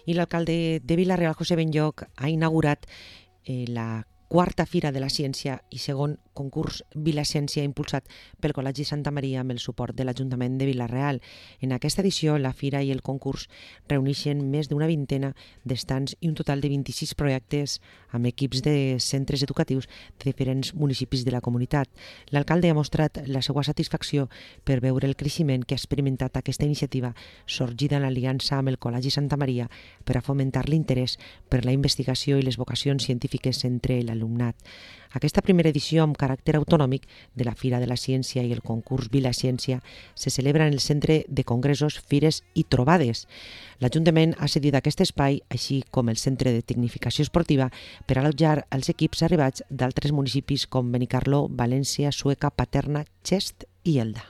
I l'alcalde de Vila-real, José Benlloch, ha inaugurat la quarta Fira de la Ciència i segon concurs Vila-ciència impulsat pel Col·legi Santa Maria amb el suport de l'Ajuntament de Vila-real. En aquesta edició, la Fira i el concurs reuneixen més d'una vintena d'estands i un total de 26 projectes amb equips de centres educatius de diferents municipis de la comunitat. L'alcalde ha mostrat la seva satisfacció per veure el creixement que ha experimentat aquesta iniciativa sorgida en l'aliança amb el Col·legi Santa Maria per a fomentar l'interès per la investigació i les vocacions científiques entre l'alumnat. Aquesta primera edició amb caràcter autonòmic de la Fira de la Ciència i el concurs Vila-ciència se celebra en el Centre de Congressos, Fires i Trobades. L'Ajuntament ha cedit aquest espai, així com el Centre de Tecnificació Esportiva, per allotjar els equips arribats d'altres municipis com Benicarló, València, Sueca, Paterna, Xest i Elda.